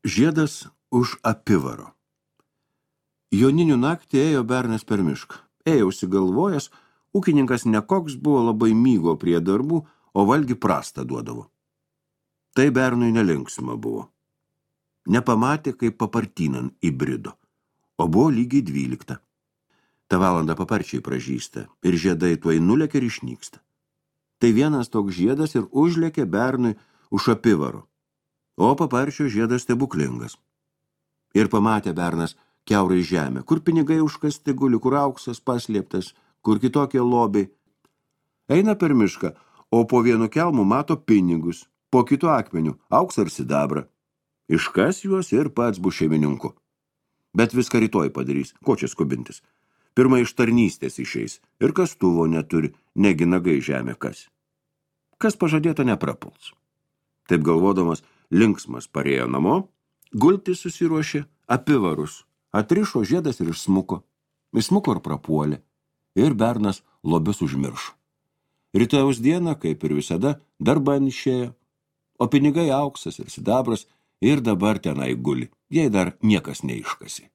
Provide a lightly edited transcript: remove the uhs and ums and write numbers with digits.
Žiedas už apivaro. Joninių naktį ėjo bernas per mišką. Ėjo užsigalvojęs, ūkininkas nekoks buvo labai mygo prie darbų, o valgi prastą duodavo. Tai bernui nelinksma buvo. Nepamatė, kaip papartynan įbrido, o buvo lygiai 12. Ta valandą paparčiai pražysta ir žiedai tuoj nulėkė ir išnyksta. Tai vienas toks žiedas ir užlėkė bernui už apivaro, o paparčio žiedas stebuklingas. Ir pamatė bernas kiaurai žemę, kur pinigai užkasti guli, kur auksas paslėptas, kur kitokie lobiai. Eina per mišką, o po vienu kelmu mato pinigus, po kitu akmeniu auksą ir sidabrą. Iškas juos ir pats bus šeimininku. Bet viską rytoj padarys, ko čia skubintis. Pirma iš tarnystės išeis ir kastuvo neturi, negi nagai žemė kas. Kas pažadėta neprapuls. Taip galvodamas, linksmas parėjo namo, gultis susiruošė apivarus, atrišo žiedas ir išsmuko. Išsmuko ir prapuolė, ir bernas lobius užmiršo. Rytojaus dieną, kaip ir visada, darban išėjo, o pinigai auksas ir sidabras ir dabar tenai guli, jei dar niekas neiškasi.